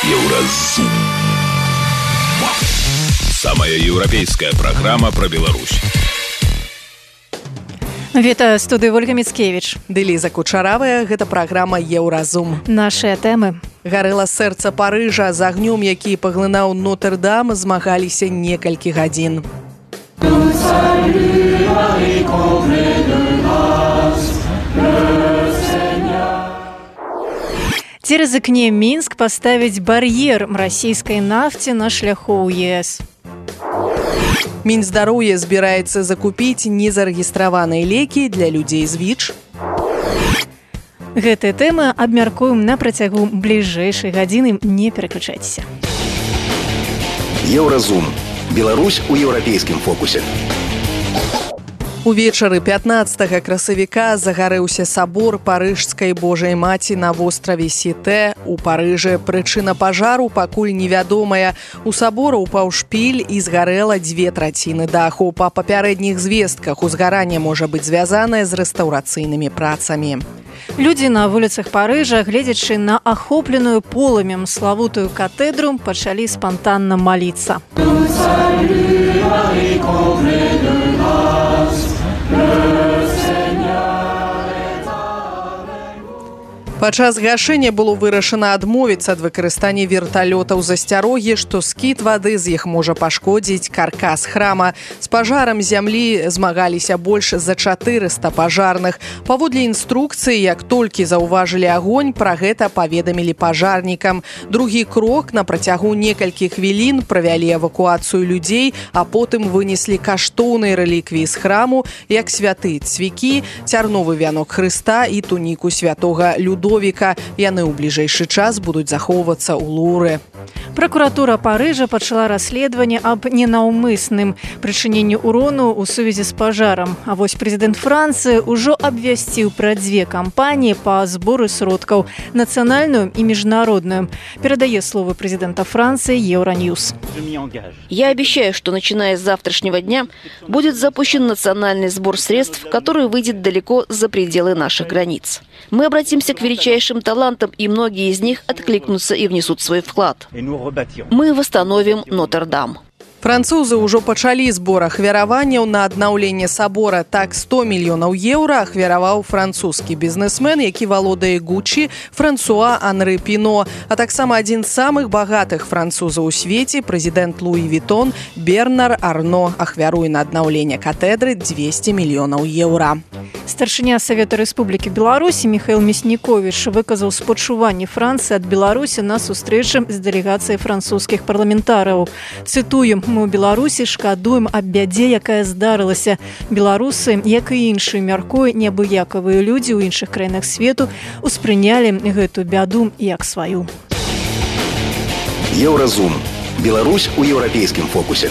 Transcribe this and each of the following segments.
Еўразум. Самая еўрапейская праграма пра Беларусь. Вітаю, студыі Ольга Міцкевіч. Ды Ліза Кучаравая, гэта праграма «Еўразум». Нашыя тэмы. Гарэла сэрца Парыжа, з агнём, які паглынаў Нотр-Дам, змагаліся некалькі гадзін. Ці рызыкне Мінск паставіць бар'ер расійскай нафце на шляху ў ЕС? Мінздароўе збіраецца закупіць незарэгістраваныя лекі для людзей з ВІЧ. Гэтыя тэмы абмяркуем на працягу бліжэйшай гадзіны. Не пераключайцеся. Еўразум. Беларусь у еўрапейскім фокусе. Увечары 15 красавіка загарэўся сабор Парыжскай Божай Маці на востраве Сіте у Парыжы. Прычына пажару пакуль невядомая. У сабора ўпаў шпіль і згарэла 2/3 даху. Па папярэдніх звестках узгаранне можа быць звязанае з рэстаўрацыйнымі працамі. Людзі на вуліцах Парыжа, гледзячы на ахопленую полымем славутую катэдру, пачалі спантанна маліцца. Падчас гашэння было вырашана адмовіцца ад выкарыстання верталётаў з асцярогі, што скід вады з іх можа пашкодзіць каркас храма. З пажарам зямлі змагаліся больш за 400 пажарных. Паводле інструкцыі, як толькі заўважылі агонь, пра гэта паведамілі пажарнікам. Другі крок на працягу некалькіх хвілін правялі эвакуацыю людзей, а потым вынеслі каштоўныя рэліквіі з храму, як святы цвікі, цярновы вянок Хрыста і туніку святога Людовіка. Яны ў бліжэйшы час будуць захоўвацца ў Луры. Пракуратура Парыжа пачала расследаванне аб ненаўмысным прычыненні ўрону ў сувязі з пажарам. А вось прэзідэнт Францыі ўжо абвясціў пра 2 кампаніі па зборы сродкаў – нацыянальную і міжнародную. Перадае словы прэзідэнта Франции Евроньюз. Я обещаю, что начиная с завтрашнего дня будет запущен национальный сбор средств, который выйдет далеко за пределы наших границ. Мы обратимся к величайшим талантам, и многие из них откликнутся и внесут свой вклад. Мы восстановим Нотр-Дам. Французы ўжо пачалі збор ахвяраванняў на аднаўленне сабора. Так 100 мільёнаў еўра ахвяраваў французскі бізнесмен, які валодае Гуччі, Франсуа Анры Піно, а таксама адзін з самых багатых французаў у свеце, прэзідэнт Луі Вітон Бернар Арно ахвяруе на аднаўленне катэдры 200 мільёнаў еўра. Старшыня Савета Рэспублікі Беларусі Міхаіл Мясніковіч выказаў спачуванне Францыі ад Беларусі на сустрэчы з дэлегацыяй французскіх парламентараў. Цытую: «Мы ў Беларусі шкадуем аб бядзе, якая здарылася. Беларусы, як і іншыя, мяркую, неабыякавыя людзі ў іншых краінах свету успрынялі гэту бяду як сваю». Еўразум. Беларусь у еўрапейскім фокусе.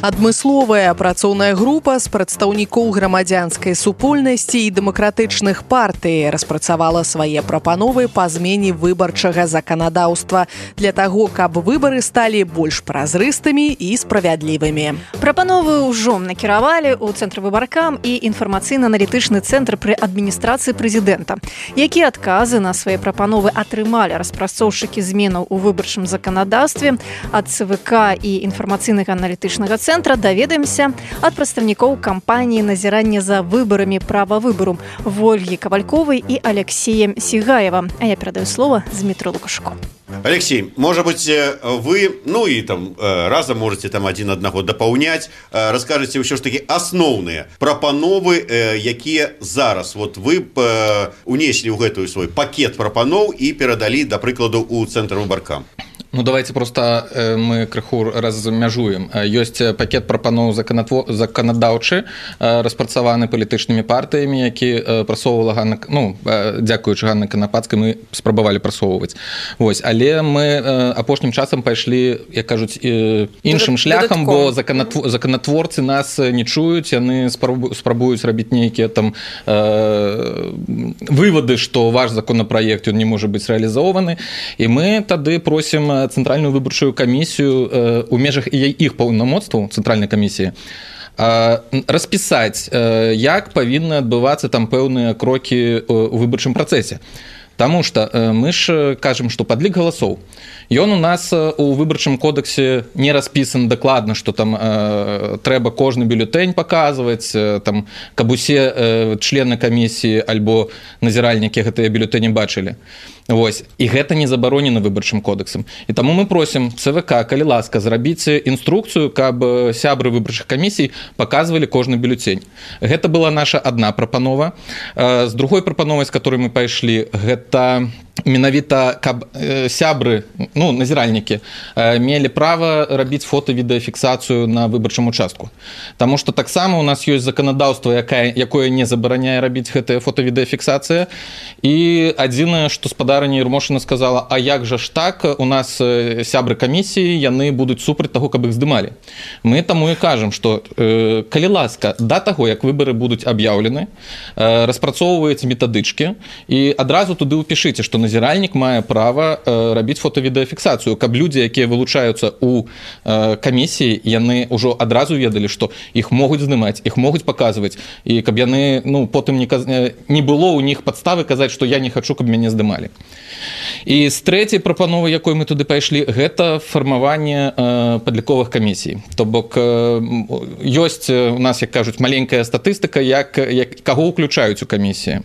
Адмысловая працоўная група з прадстаўнікоў грамадзянскай супольнасці і дэмакратычных партый распрацавала свае прапановы па змене выбарчага заканадаўства для таго, каб выбары сталі больш празрыстымі і справядлівымі. Прапановы ўжо накіравалі ў Цэнтр выбаркам і інфармацыйна-аналітычны цэнтр пры адміністрацыі прэзідэнта. Якія адказы на свае прапановы атрымалі распрацоўшчыкі зменаў у выбарчым заканадаўстве ад ЦВК і інфармацыйнага аналітычнага цэнтра, даведаемся ад прадстаўнікоў кампаніі назірання за выбарамі права выбару Ольгі Кавальковай і Алексеем Сигаева. А я перадаю слово Дмитрию Лукашуку. Алексей, может быть, вы, ну и там разом можете там один одного дополнять, расскажете все ж таки основные прапановы, якія зараз вот вы унесли ў гэтую свой пакет прапаноў і перадалі, да прыкладу, у Цэнтр выбаркам. Ну, давайте просто мы крыху размяжуем. Ёсць пакет прапаноў заканадаўчы, распрацаваны палітычнымі партыямі, які прасоўвала Ганна, ну, дзякуючы Ганны Канапацкай, мы спрабавалі прасоўваць. Вось, але мы апошнім часам пайшлі, як кажуць, іншым шляхам, бо законатворцы нас не чуюць, яны спрабуюць рабіць нейкія там вывады, што ваш законапраект ён не можа быць рэалізованы, і мы тады просім Цэнтральную выбарчую камісію у межах іх паўнамоцтваў цэнтральнай камісіі распісаць, як павінны адбывацца там пэўныя крокі ў выбарчым працэсе. Таму што мы ж кажам, што падлік галасоў ён у нас у выбарчым кодексе не распісан дакладна, што там трэба кожны бюлетэнь паказваць, там, каб усе члены камісіі альбо назіральнікі гэтыя бюлетэні бачылі. Вось. І гэта не забаронена выбарчым кодексам. І таму мы просім ЦВК, калі ласка, зрабіць інструкцыю, каб сябры выбарчых камісій паказвалі кожны бюлетень. Гэта была наша адна прапанова. З другой прапановай, з которой мы пайшлі, гэта менавіта, каб сябры, ну, назіральнікі, мелі права рабіць фото-відэафіксацыю на выбарчым участку. Таму што таксама у нас ёсць заканадаўства, якое не забараняе рабіць гэтая фото-відэафіксацыя. І адзінае, што спадарыня Ермошына сказала, а як жа ж так, у нас сябры камісіі, яны будуць супраць таго, каб іх здымалі. Мы таму і кажам, што калі ласка, да таго, як выбары будуць аб'яўлены, распрацоўваеце метадычкі і адразу туды ўпішыце, што назіральнік мае права рабіць фото-відэафіксацыю, каб людзі, якія вылучаюцца ў камісіі, яны ўжо адразу ведалі, што іх могуць здымаць, іх могуць паказваць, і каб яны, ну, потым не было ў них падставы казаць, што я не хачу, каб мяне здымалі. І з трэцяй прапановы, якой мы туды пайшлі, гэта фармаванне падліковых камісій. То бок ёсць у нас, як кажуць, маленькая статыстыка, каго ўключаюць у камісіі.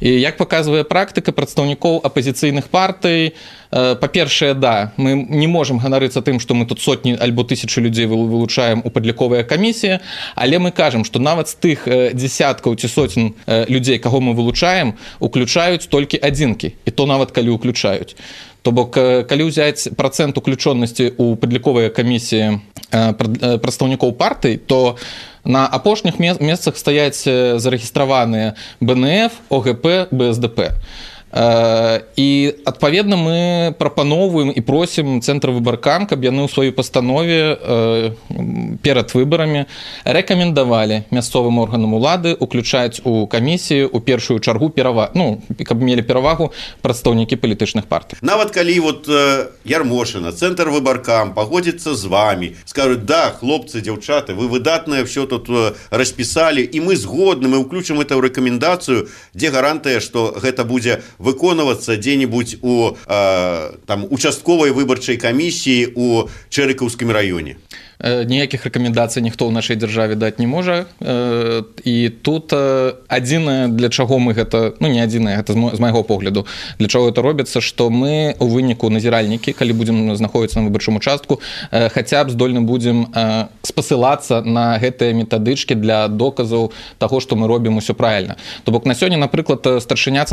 І як паказвае практыка прадстаўнікоў апазіцыйных партый, па-першае, да, мы не можам ганарыцца тым, што мы тут сотні альбо тысячы людзей вылучаем у падліковыя камісіі, але мы кажам, што нават з тых дзесяткаў ці сотень людзей, каго мы вылучаем, уключаюць толькі адзінкі, і то нават калі уключаюць. То бок, калі ўзяць працэнт уключонасці ў падліковыя камісіі прадстаўнікоў партый, то на апошніх месцах стаяць зарэгістраваныя БНФ, ОГП, БСДП. І адпаведна мы прапаноўваем і просім цэнтр выбаркам, каб яны ў сваёй пастанове перад выбарамі рэкамендавалі мясцовым органам улады уключаць у камісію у першую чаргу каб мелі перавагу прадстаўнікі палітычных партый. Нават калі вот Ярмошына, цэнтр выбаркам пагодзіцца з вами, скажуць, да, хлопцы, дзяўчаты, вы выдатнае все тут распісалі, і мы згодны, мы ўключым это ў рэкамендацыю, дзе гарантыя, што гэта будзе выконвацца дзе-небудзь у участковай выбарчай камісіі у Чэрыкаўскім раёне. Ніякіх рэкамендацый ніхто ў нашай дзяржаве даць не можа. І тут адзінае, для чаго мы гэта, ну не адзінае, гэта з майго погляду, для чаго гэта робіцца, што мы у выніку назіральнікі, калі будзем знаходзіцца на выбарчым участку, хаця б здольны будзем спасылацца на гэтыя метадычкі для доказаў таго, што мы робім усё правільна. То бок на сёння, напрыклад, старшыня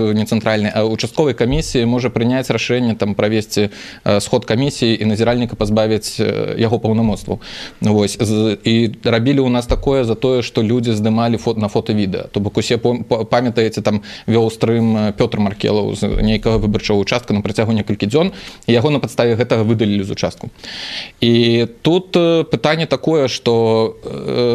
участковай камісіі можа прыняць рашэнне там правесці сход камісіі і назіральніка пазбавіць яго паўнамоцтваў. Вось. І рабілі ў нас такое за тое, што людзі здымалі на фота-відэа. То бок усе памятаеце, там вёў стрым Пётр Маркелаў з нейкага выбарчага участка на працягу некалькі дзён, і яго на падставе гэтага выдалілі з участку. І тут пытанне такое, што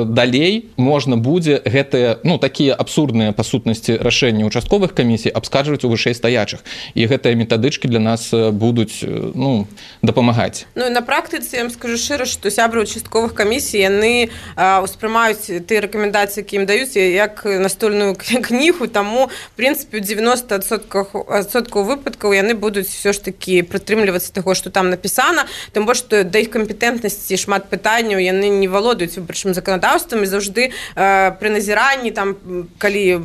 далей можна будзе гэтыя, ну, такія абсурдныя па сутнасці рашэнні участковых камісій абскарджваць у вышэй стаячых. І гэтыя метадычкі для нас будуць, ну, дапамагаць. Ну, і на практыцы, я вам скажу шчыра, што сябры участковых камісій, яны ўспрымаюць тыя рэкамендацыі, які ім даюць, як настольную кнігу, таму, в прынцыпе, у 90% выпадкаў яны будуць все ж такі прытрымлівацца таго, што там напісана, тым больш, што да іх кампетэнтнасці шмат пытанняў, яны не валодаюць выбарчым заканадаўствам, і заўжды пры назіранні, там, калі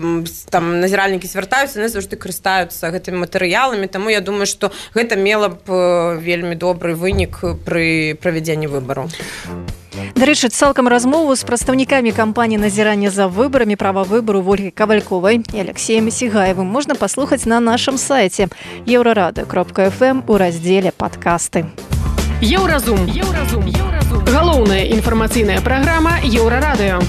там назіральнікі звяртаюцца, яны заўжды карыстаюцца гэтымі матэрыяламі, таму я думаю, што гэта мела б вельмі добры вынік пры правядзенні выбараў. Дарэчы, цалкам размову з прадстаўнікамі кампаніі назірання за выбарамі права выбару Ольгай Кавальковай і Алексеем Сігаевым можна паслухаць на нашым сайце еўрарады.фм у раздзеле «Падкасты». Еўразум. Галоўная інфармацыйная праграма Еўрарадыё.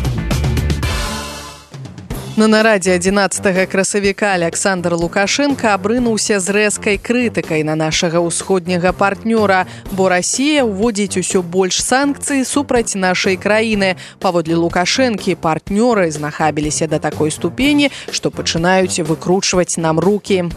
На нарадзе 11 красавіка Александр Лукашенко абрынуўся з рэзкай крытыкай на нашага ўсходняга партнёра, бо Расія ўводзіць усё больш санкцый супраць нашай краіны. Паводле Лукашэнкі, партнёры знахабіліся да такой ступені, што пачынаюць выкручваць нам рукі.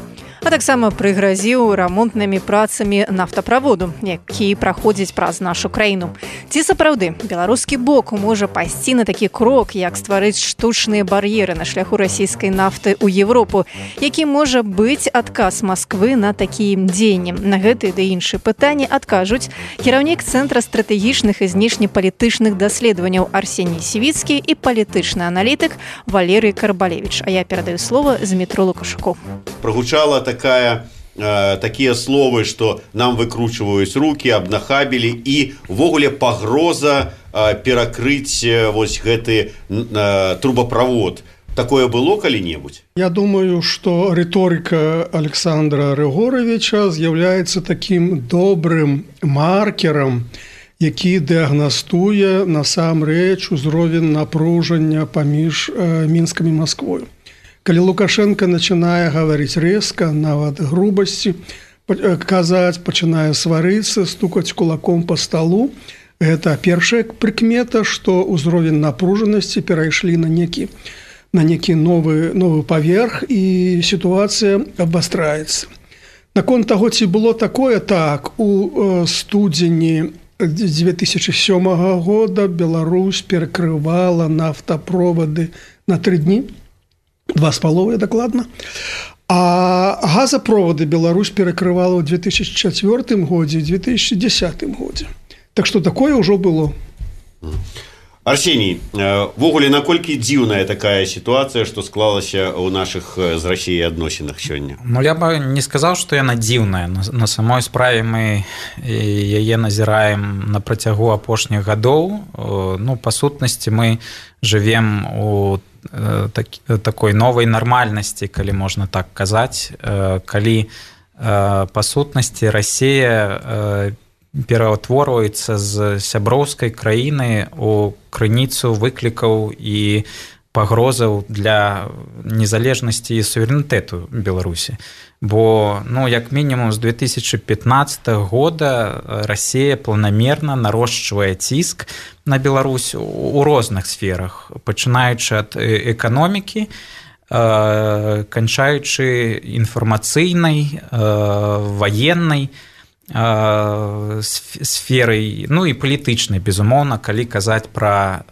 А таксама прыгразіў рамонтнымі працамі нафтаправоду, які праходзіць праз нашу краіну. Ці сапраўды беларускі бок можа пайсці на такі крок, як стварыць штучныя бар'еры на шляху расійскай нафты ў Европу, які можа быць адказ Масквы на такім дзеяннем? На гэтыя ды іншыя пытанні адкажуць кіраўнік Цэнтра стратэгічных і знешнепалітычных даследаванняў Арсеній Сівіцкі і палітычны аналітык Валерый Карбалевіч. А я перадаю слово Змітру Лукашуку. Прогучала такія словы, што нам выкручваюць рукі, абнахабілі і ўвогуле пагроза перакрыць вось гэты трубаправод. Такое было калі-небудзь? Я думаю, што рыторыка Александра Рыгоровича з'яўляецца такім добрым маркерам, які дыягнастуе насамрэч узровень напружання паміж Мінскам і Масквою. Калі Лукашенко начинае гаварыць рэзка, нават грубасці, казаць, пачынае сварыцца, стукаць кулаком па сталу, гэта першая прыкмета, што ўзровень напружанасці перайшлі на некі новы паверх і сітуацыя абвастраецца. Наконт таго, ці было такое, так, у студзені 2007 года Беларусь перакрывала нафтаправоды на 3 дні, 2,5 дакладна. А газаправоды Беларусь перакрывала ў 2004 годзе і 2010 годзе. Так што такое ўжо было. Арсеній, ввогуле, наколькі дзіўная такая сітуацыя, што склалася ў нашых з Расіяй адносінах сёння? Ну, я бы не сказаў, што яна дзіўная. На самой справе мы яе назіраем на працягу апошніх гадоў. Ну, па сутнасці, мы жывем у такой новай нармальнасці, калі можна так казаць, калі па сутнасці Расія пераўтворваецца з сяброўскай краіны у крыніцу выклікаў і пагрозаў для незалежнасці і суверэнітэту Беларусі. Бо, ну, як мінімум з 2015 года Расія планамерна нарошчвае ціск на Беларусь у розных сферах, пачынаючы ад эканомікі, канчаючы інфармацыйнай, ваеннай сферай, ну і палітычнай, безумоўна, калі казаць пра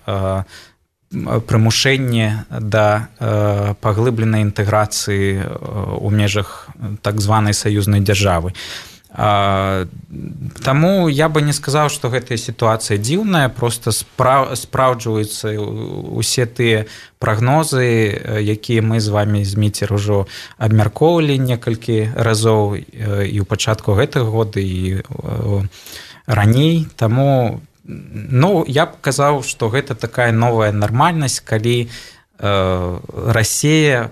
прымушэнне да паглыбленай інтэграцыі ў межах так званай саюзнай дзяржавы. Таму я бы не сказаў, што гэтая сітуацыя дзіўная, проста спраўджваюцца усе тыя прагнозы, якія мы з вамі, Зміцер, ужо абмяркоўвалі некалькі разоў і ў пачатку гэтага года, і раней. Таму, ну, я б казаў, што гэта такая новая нармальнасць, калі Расія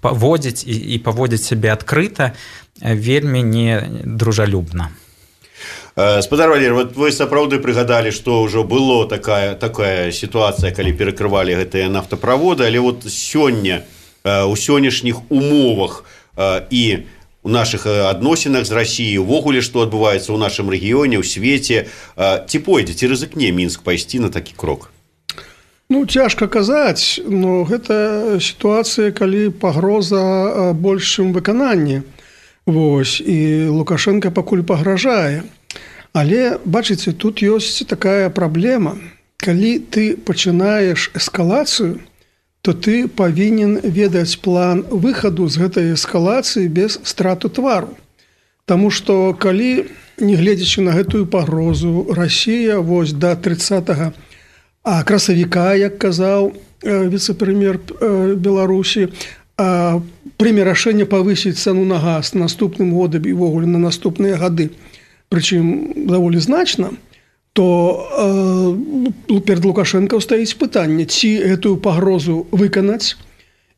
паводзіць і паводзіць сябе адкрыта, вельмі недружалюбна. Спадар Валерый, вот вы сапраўды прыгадалі, што ўжо было такая сітуацыя, калі перакрывалі гэтыя нафтаправоды, але вот сёння, у сённяшніх умовах і у нашых адносінах з Расіяй, увогуле, што адбываецца ў нашым рэгіёне, ў свеце, ці пойдзе, ці рызыкне Мінск пайсці на такі крок? Ну, цяжка казаць, но гэта сітуацыя, калі пагроза большым выкананні. Вось, і Лукашенко пакуль пагражае. Але, бачыце, тут ёсць такая праблема. Калі ты пачынаеш эскалацыю, то ты павінен ведаць план выхаду з гэтай эскалацыі без страту твару. Таму што калі, не гледзячы на гэтую пагрозу, Расія вось да 30 красавіка, як казаў віцэ-прэм'ер Беларусі, прыме рашэнне павысіць цану на газ наступным годам і ўвогуле на наступныя гады, прычым даволі значна, то перад Лукашенко стаіць пытанне, ці гэтую пагрозу выканаць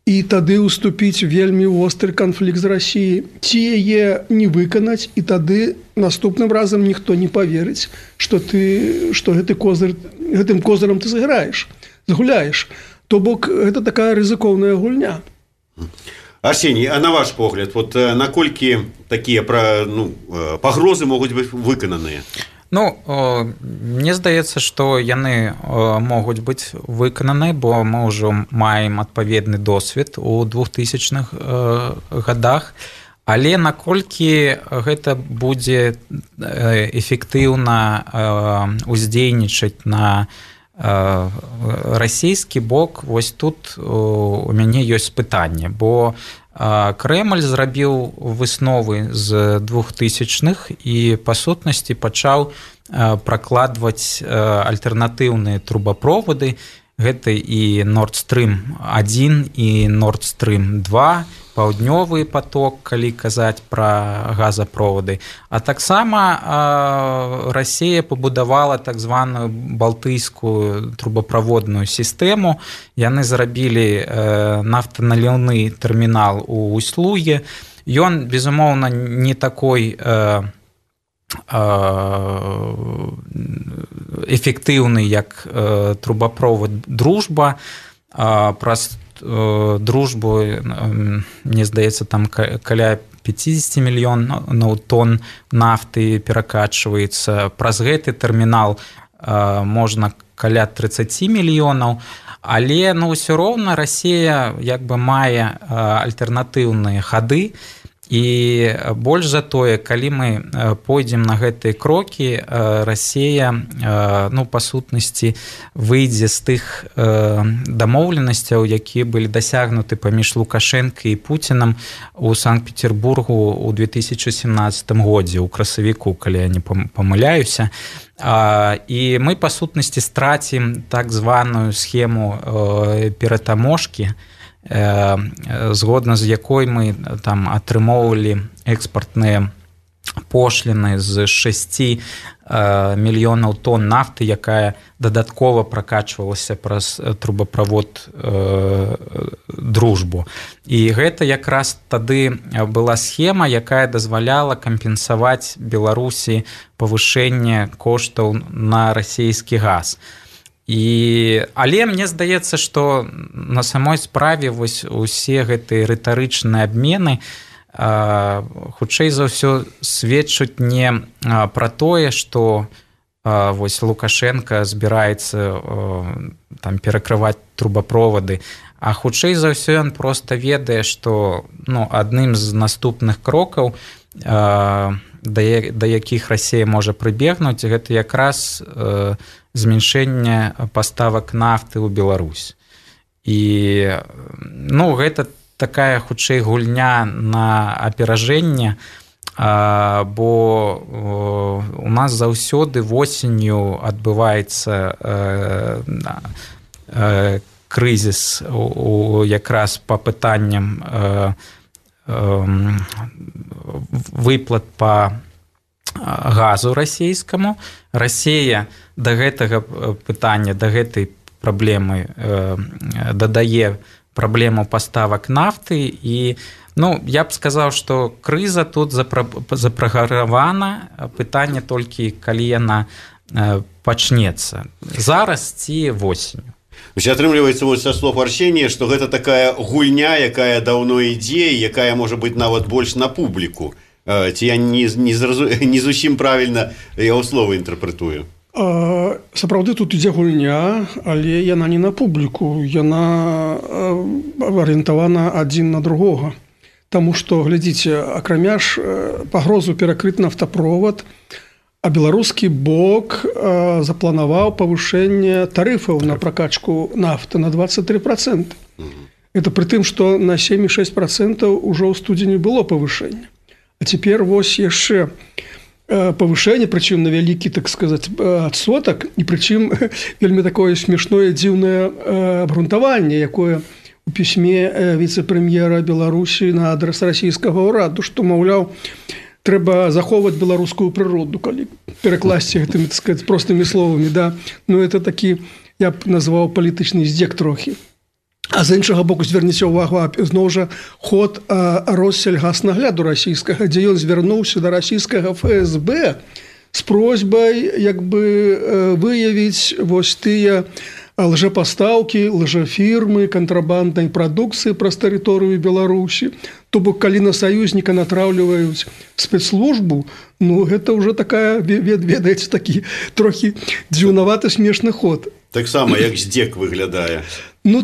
і тады ўступіць вельмі востры канфлікт з Расіяй, ці яе не выканаць, і тады наступным разам ніхто не паверыць, што гэтым козырам ты згуляеш. То бок, гэта такая рызыкоўная гульня. Арсеній, а на ваш погляд, вот наколькі такія пагрозы могуць быць выкананыя? Ну, мне здаецца, што яны могуць быць выкананы, бо мы ўжо маем адпаведны досвед у 2000-х годах. Але наколькі гэта будзе эфектыўна уздзейнічаць на расійскі бок, вось тут у мяне ёсць пытанне, бо Крэмль зрабіў высновы з 2000-х і па сутнасці пачаў пракладваць альтэрнатыўныя трубаправоды. Гэта і Nord Stream 1 і Nord Stream 2, паўднёвы поток, калі казаць пра газаправоды. А таксама Расія пабудавала так званую балтыйскую трубаправодную сістэму. Яны зрабілі нафтаналіўны тэрмінал у Усть-Луге. Ён, безумоўна, не такой эфектыўны, як трубаправод «Дружба». Праз «Дружбу», мне здаецца, там каля 50 мільёнаў тонн нафты перакачваецца. Праз гэты тэрмінал можна каля 30 мільёнаў. Але ўсё роўна Расія як бы мае альтэрнатыўныя хады. І больш за тое, калі мы пойдзем на гэтыя крокі, Расія, па сутнасці, выйдзе з тых дамоўленасцяў, якія былі дасягнуты паміж Лукашенко і Пуцінам у Санкт-Петербургу ў 2017 годзе, у красавіку, калі я не памыляюся. І мы, па сутнасці, страцім так званую схему ператаможкі, згодна з якой мы там атрымоўвалі экспартныя пошліны з 6 мільёнаў тонн нафты, якая дадаткова пракачвалася праз трубаправод «Дружбу». І гэта якраз тады была схема, якая дазваляла кампенсаваць Беларусі павышэнне коштаў на расійскі газ. Але мне здаецца, што на самой справе вось усе гэтыя рытарычныя абмены хутчэй за ўсё сведчаць не пра тое, што вось Лукашенко збіраецца там перакрываць трубаправоды, а хутчэй за ўсё ён проста ведае, што адным з наступных крокаў, да якіх Расія можа прыбегнуць, гэта якраз зменшэнне паставак нафты ў Беларусь. І гэта такая хутчэй гульня на аперажэнне, бо у нас заўсёды восенню адбываецца крызіс якраз па пытанням выплат па газу расійскаму. Расія да гэтага пытання, да гэтай праблемы дадае праблему паставак нафты. І я б сказаў, што крыза тут запраграмавана, пытанне толькі калі яна пачнецца. Зараз ці восенню. Атрымліваецца са слов Арсенія, што гэта такая гульня, якая даўно ідзе, якая можа быць нават больш на публіку. Ці я не зусім правільна яго слова інтэрпрэтую? Сапраўды тут ідзе гульня, але яна не на публіку, яна арыентавана адзін на другога. Таму што, глядзіце, акрамя ж пагрозу перакрыць нафтаправад, а беларускі бок запланаваў павышэнне тарыфаў на пракачку нафты на 23%. Это пры тым, што на 7,6% ўжо ў студзені было павышэнне. А цяпер вось яшчэ павышэнне, прычым на вялікі, так сказаць, адсотак, і прычым вельмі такое смешное, дзіўнае абгрунтаванне, якое у пісьме віцэ-прэм'ера Беларусі на адрас расійскага ўраду, што, маўляў, трэба захоўваць беларускую прыроду, калі перакласці гэтымі, так сказаць, простымі словамі, да. Это такі, я б назваў, палітычны здзек трохі. А з іншага боку, зверніце ўвагу, зноў жа ход Россельгаснагляду расійскага, дзе ён звярнуўся да расійскага ФСБ з просьбай як бы выявіць вось тыя лжапастаўкі, лжафірмы, кантрабанднай прадукцыі праз тэрыторыю Беларусі. То бок, калі на саюзніка натраўліваюць спецслужбу, гэта ўжо такая, ведаеце, такі трохі дзіўнаваты смешны ход. Таксама, як здзек выглядае.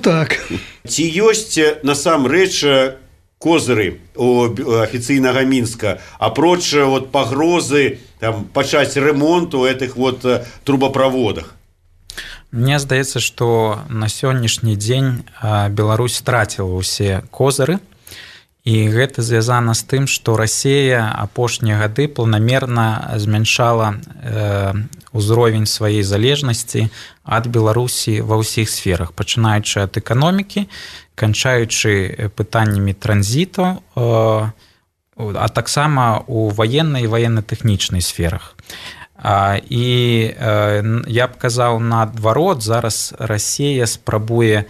Так. Ці ёсць насамрэч козыры у афіцыйнага Мінска, апроч вот пагрозы там пачаць ремонт у этих вот трубопроводах? Мне здаецца, што на сённяшні дзень Беларусь страціла ўсе козыры, і гэта звязана з тым, што Расія апошнія гады планамерна змяншала ўзровень сваёй залежнасці ад Беларусі ва ўсіх сферах, пачынаючы ад эканомікі, канчаючы пытаннямі транзіту, а таксама у ваеннай і ваенна-тэхнічнай сферах. І я б казаў наадварот, зараз Расія спрабуе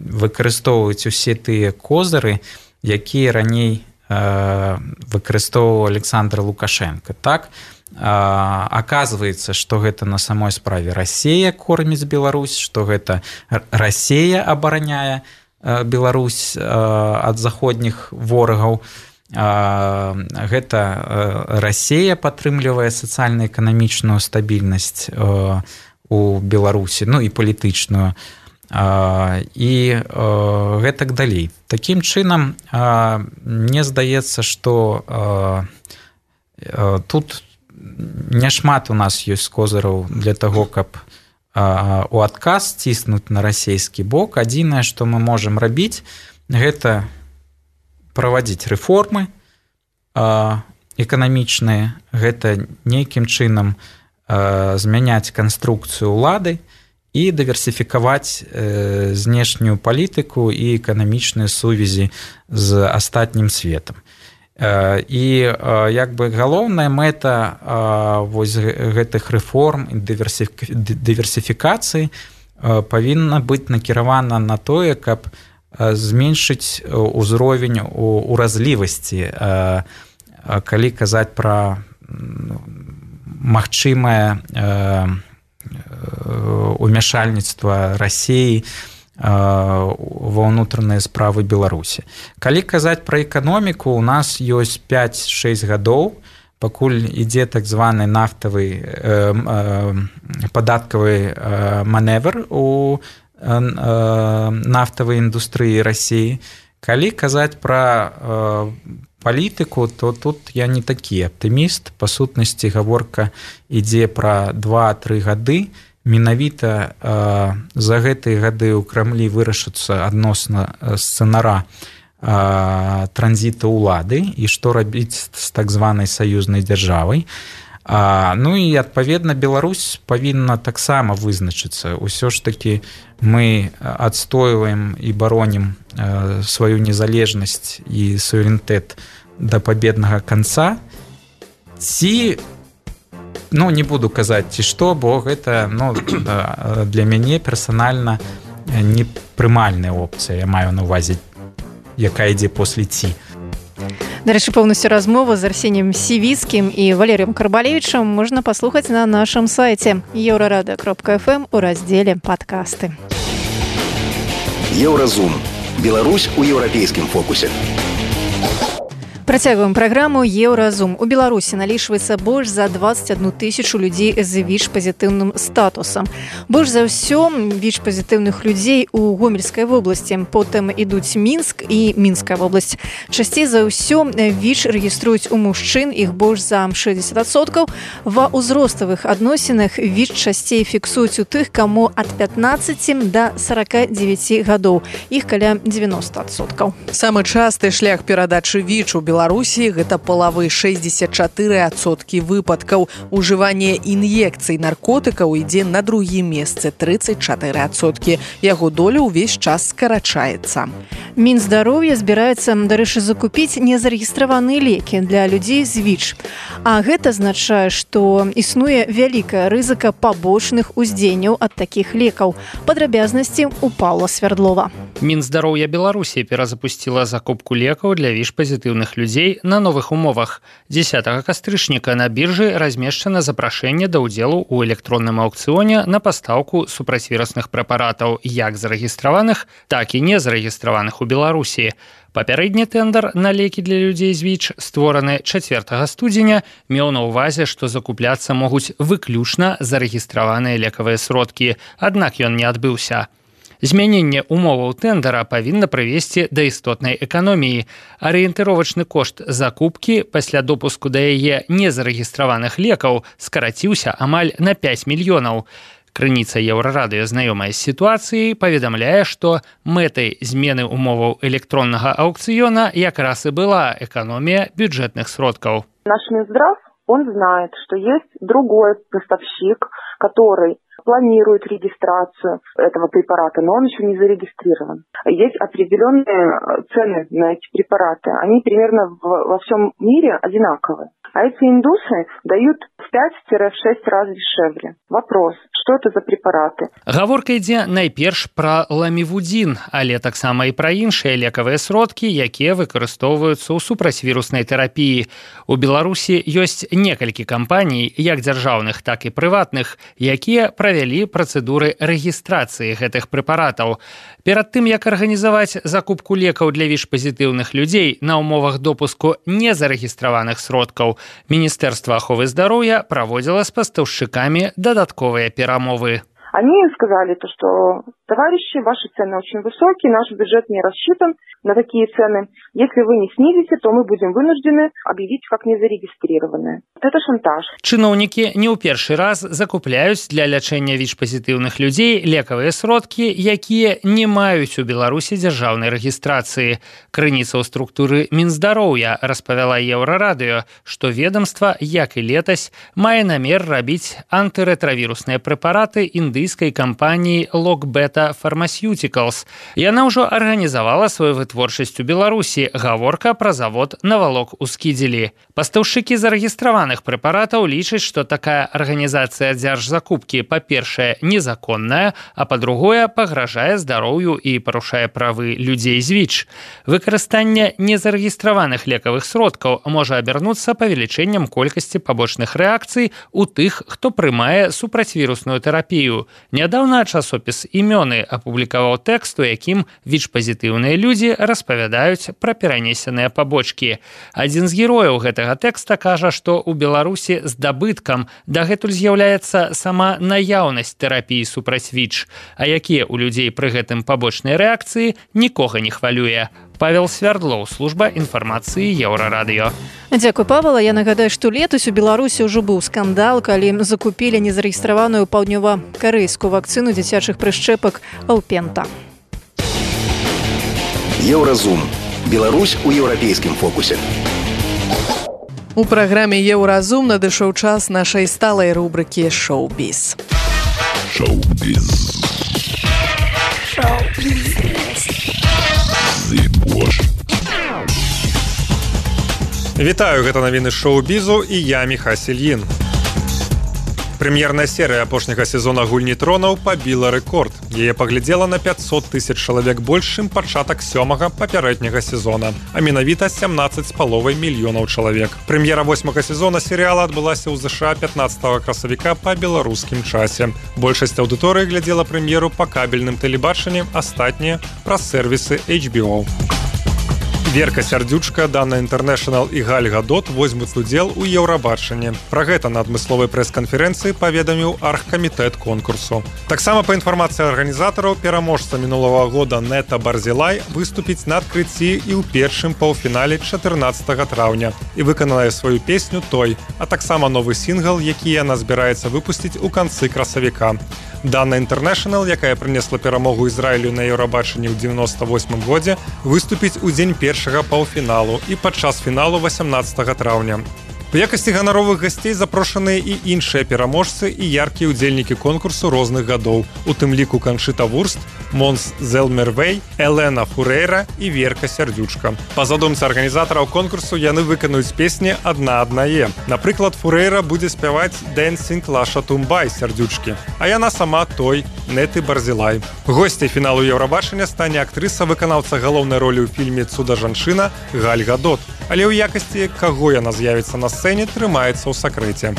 выкарыстоўваць усе тыя козыры, якія раней выкарыстоўваў Александр Лукашенко. Так, аказваецца, што гэта на самой справе Расія корміць Беларусь, што гэта Расія абараняе Беларусь ад заходніх ворагаў. Гэта Расія падтрымлівае сацыяльна-эканамічную стабільнасць у Беларусі, ну і палітычную, і гэтак далей. Такім чынам, мне здаецца, што тут няшмат у нас ёсць козыраў для таго, каб у адказ ціснуць на расійскі бок. Адзінае, што мы можам рабіць, гэта правадзіць рэформы эканамічныя, гэта нейкім чынам змяняць канструкцыю ўлады і дыверсіфікаваць знешнюю палітыку і эканамічныя сувязі з астатнім светам. І як бы галоўная мэта вось гэтых рэформ і дыверсіфікацыі павінна быць накіравана на тое, каб зменшыць узровень уразлівасці, калі казаць пра магчымае умяшальніцтва Расіі ва ўнутраныя справы Беларусі. Калі казаць пра эканоміку, у нас ёсць 5-6 гадоў, пакуль ідзе так званы нафтавы падаткавы маневр у нафтавай індустрыі Расіі. Калі казаць пра палітыку, то тут я не такі аптыміст. Па сутнасці гаворка ідзе пра 2-3 гады. Менавіта за гэтыя гады ў Крамлі вырашыцца адносна сцэнара транзіту ўлады і што рабіць з так званай саюзнай дзяржавай. Ну і адпаведна Беларусь павінна таксама вызначыцца. Усё ж такі мы адстойваем і баронім сваю незалежнасць і суверэнітэт да пабеднага канца. Ці, ну не буду казаць ці што, бо гэта для мяне персанальна непрымальная опцыя. Я маю на ўвазе, якая ідзе после ці. Дарэчы, поўнасцю размову з Арсеніем Сівіцкім і Валерыем Карбалевічам можна паслухаць на нашым сайце еўрарада.фм у раздзеле «Падкасты». Еўразум. Беларусь у еўрапейскім фокусе. Працягваем праграму «Еўразум». У Беларусі налічваецца больш за 21 тысячу людзей з ВІЧ-пазітыўным статусам. Больш за ўсё ВІЧ-пазітыўных людзей у Гомельскай вобласці. Потым ідуць Мінск і Мінская вобласць. Часцей за ўсё ВІЧ рэгіструюць у мужчын, іх больш за 60%. Ва ўзроставых адносінах ВІЧ часцей фіксуюць у тых, каму ад 15 да 49 гадоў. Іх каля 90%. Самы часты шлях перадачы ВІЧ у Беларусі гэта палавы 64% выпадкаў. Ужыванне ін'екцый наркотыкаў ідзе на другім месцы 34%. Яго доля ўвесь час скарачаецца. Мінздароўя збіраецца, дарэчы, закупіць незарэгістраваныя лекі для людзей з ВІЧ. А гэта азначае, што існуе вялікая рызыка пабочных уздзеянняў ад такіх лекаў. Падрабязнасці у Паўла Свярдлова. Мінздароўя Беларусі перазапусціла закупку лекаў для ВІЧ-пазітыўных людзей на новых умовах. 10 кастрычніка на біржы размешчана запрашэнне да ўдзелу ў электронным аўкцыёне на пастаўку супрацьвірусных прэпаратаў як зарэгістраваных, так і незарэгістраваных у Беларусі. Папярэдні тэндэр на лекі для людзей з ВІЧ, створаны 4 студзеня, меў на ўвазе, што закупляцца могуць выключна зарэгістраваныя лекавыя сродкі, аднак ён не адбыўся. Змяненне умоваў тэндара павінна прывесці да істотнай эканоміі. Арыентыровачны кошт закупкі пасля допуску да яе незарэгістраваных лекаў скараціўся амаль на 5 мільёнаў. Крыніца Еўрарадыё, знаёмая з сітуацыяй, паведамляе, што мэтай змены умоваў электроннага аукцыёна якраз і была эканомія бюджэтных сродкаў. Наш Минздрав, он знает, что есть другой поставщик, который планирует регистрацию этого препарата, но он еще не зарегистрирован. Есть определенные цены на эти препараты. Они примерно во всем мире одинаковые. А эти индусы дают в 5-6 раз дешевле. Вопрос, что это за препараты? Гаворка ідзе найперш пра ламівудзін, але таксама і пра іншыя лекавыя сродкі, якія выкарыстоўваюцца ў супрацьвіруснай тэрапіі. У Беларусі ёсць некалькі кампаній, як дзяржаўных, так і прыватных, якія правялі працэдуры рэгістрацыі гэтых прэпаратаў. Перад тым, як арганізаваць закупку лекаў для ВІЧ-пазітыўных людзей на ўмовах допуску незарэгістраваных сродкаў, Міністэрства аховы здароўя праводзіла з пастаўшчыкамі дадатковыя перамовы. Они сказали, что, товарищи, ваши цены очень высокие, наш бюджет не рассчитан на такие цены. Если вы не снизите, то мы будем вынуждены объявить как незарегистрированные. Это шантаж. Чыноўнікі не ў першы раз закупляюць для лячэння ВІЧ-пазітыўных людзей лекавыя сродкі, якія не маюць у Беларусі дзяржаўнай рэгістрацыі. Крыніца ў структуры Мінздароўя распавяла Еўрарадыё, што ведомства, як і летась, мае намер рабіць антыретравірусныя прэпараты індыйскай кампаніі Lockbeta Pharmaceuticals. Яна ўжо арганізавала сваю вытворчасць у Беларусі. Гаворка пра завод «Навалок» у Скідзелі. Пастаўшчыкі зарэгістраваных прэпаратаў лічаць, што такая арганізацыя дзяржзакупкі, па-першае, незаконная, а па-другое, пагражае здароўю і парушае правы людзей з ВІЧ. Выкарыстанне незарэгістраваных лекавых сродкаў можа абярнуцца павелічэннем колькасці пабочных рэакцый у тых, хто прымае супрацьвірусную тэрапію. Нядаўна часопіс «Імёны» апублікаваў тэкст, у якім ВІЧ-пазітыўныя людзі распавядаюць пра перанесеныя пабочкі. Адзін з герояў гэтага тэкста кажа, што ў Беларусі здабыткам дагэтуль з'яўляецца сама наяўнасць тэрапіі супраць ВІЧ, а якія ў людзей пры гэтым пабочныя рэакцыі, нікога не хвалюе. Павел Свярдлоў, служба інфармацыі Еўрарадыё. Дзякуй, Павел. Я нагадаю, што летась у Беларусі ўжо быў скандал, калі закупілі незарэгістраваную паўднёва-карэйскую вакцыну дзіцячых прышчэпак Алпента. Еўразум. Беларусь у еўрапейскім фокусе. У праграме «Еўразум» надышоў час нашай сталай рубрыкі «Шоу-біз». Шоу-біз. Вітаю, гэта навіны шоу-бізу і я Міхась Ільін. Прэм'ерная серыя апошняга сезона «Гульні тронаў» пабіла рэкорд. Яе паглядзела на 500 тысяч чалавек больш, чым пачатак 7-га папярэдняга сезона, а менавіта 17,5 мільёнаў чалавек. Прэм'ера 8-га сезона серыяла адбылася ў ЗША 15 красавіка па беларускім часе. Большасць аўдыторыі глядзела прэм'еру па кабельным тэлебачанні, астатнія праз сервісы HBO. Верка Сярдзючка, Дана Інтэрнэшнл і Галь Гадот возьмуць удзел у Еўрабачанні. Пра гэта на адмысловай прэс-канферэнцыі паведаміў аргкамітэт конкурсу. Таксама па інфармацыі арганізатараў, пераможца мінулага года Нета Барзілай выступіць на адкрыцці і ў першым паўфінале 14 траўня і выканае сваю песню «Той», а таксама новы сінгл, які яна збіраецца выпусціць у канцы красавіка. Дана Інтэрнэшнл, якая прынесла перамогу Ізраілю на Еўрабачанні ў 98 годзе, выступіць у дзень першага паўфіналу і падчас фіналу 18 траўня. У якасці ганаровых гасцей запрошаныя і іншыя пераможцы і яркія ўдзельнікі конкурсу розных гадоў, у тым ліку Канчыта Вурст, Монс Зелмервей, Элена Фурэйра і Верка Сярдзючка. Па задумцы арганізатараў конкурсу яны выканаюць песні адна-аднае. Напрыклад, Фурэйра будзе спяваць «Dancing Лаша Тумбай» Сярдзючкі, а яна сама «Той» Неты Барзілай. Госцяй фіналу Еўрабачання стане актрыса-выканаўца галоўнай ролі ў фільме «Цуда жанчына» Галь Гадот. Але ў якасці, каго яна з'явіцца на сцэне, трымаецца ў сакрэце.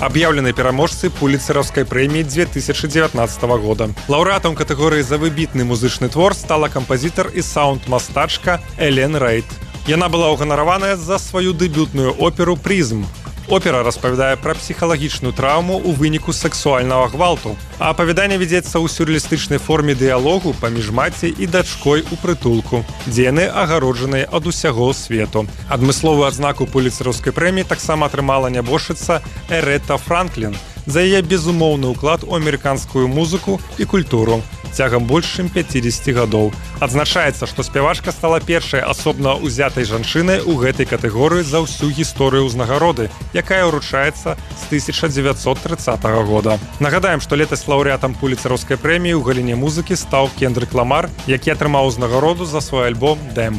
Аб'яўлены пераможцы пуліцераўскай прэміі 2019 года. Лаўрэатам катэгорыі за выбітны музычны твор стала кампазітар і саунд-мастачка Элен Рейд. Яна была ўганараваная за сваю дэбютную оперу «Призм». Опера распавядае пра псіхалагічную траўму ў выніку сексуальнага гвалту. А апавяданне вядзецца ў сюррэалістычнай форме дыялогу паміж маці і дачкой у прытулку, дзе яны агароджаныя ад усяго свету. Адмысловую адзнаку пуліцэраўскай прэміі таксама атрымала нябожчыца Эретта Франклін за яе безумоўны ўклад у амерыканскую музыку і культуру цягам больш чым 50 гадоў. Адзначаецца, што спявачка стала першай асобна ўзятай жанчынай у гэтай катэгорыі за ўсю гісторыю ўзнагароды, якая ўручаецца з 1930 года. Нагадаем, што летась лаўрэатам пуліцэраўскай прэміі ў галіне музыкі стаў Кендрик Ламар, які атрымаў узнагароду за свой альбом «Дэм».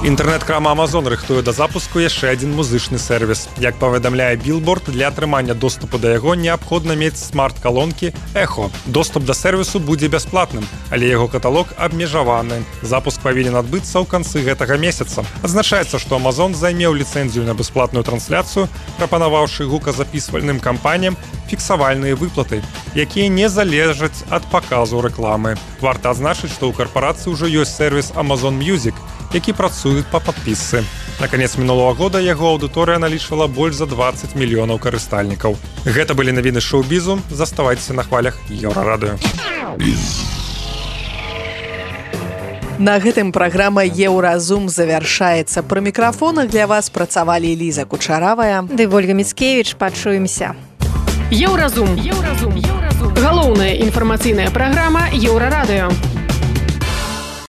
Інтэрнэт-крама Amazon рыхтуе да запуску яшчэ адзін музычны сервіс. Як паведамляе Billboard, для атрымання доступу да яго неабходна мець смарт-калонкі Echo. Доступ да сервісу будзе бясплатным, але яго каталог абмежаваны. Запуск павінен адбыцца ў канцы гэтага месяца. Адзначаецца, што Amazon займеў ліцэнзію на бясплатную трансляцыю, прапанаваўшы гуказапісвальным кампаніям фіксавальныя выплаты, якія не залежаць ад паказу рэкламы. Варта адзначыць, што ў карпорацыі ўжо ёсць сервіс Amazon Music, які працуе па падпісцы. На канец мінулого года яго аўдыторыя налічвала больш за 20 мільёнаў карыстальнікаў. Гэта былі навіны шоу-бізу. Заставайцеся на хвалях Еўрарадыё. На гэтым праграма «Еўразум» завяршаецца. Пры мікрафонах для вас працавалі Ліза Кучаравая ды Ольга Міцкевіч. Пачуемся. Еўразум. Галоўная інфармацыйная праграма Еўрарадыё.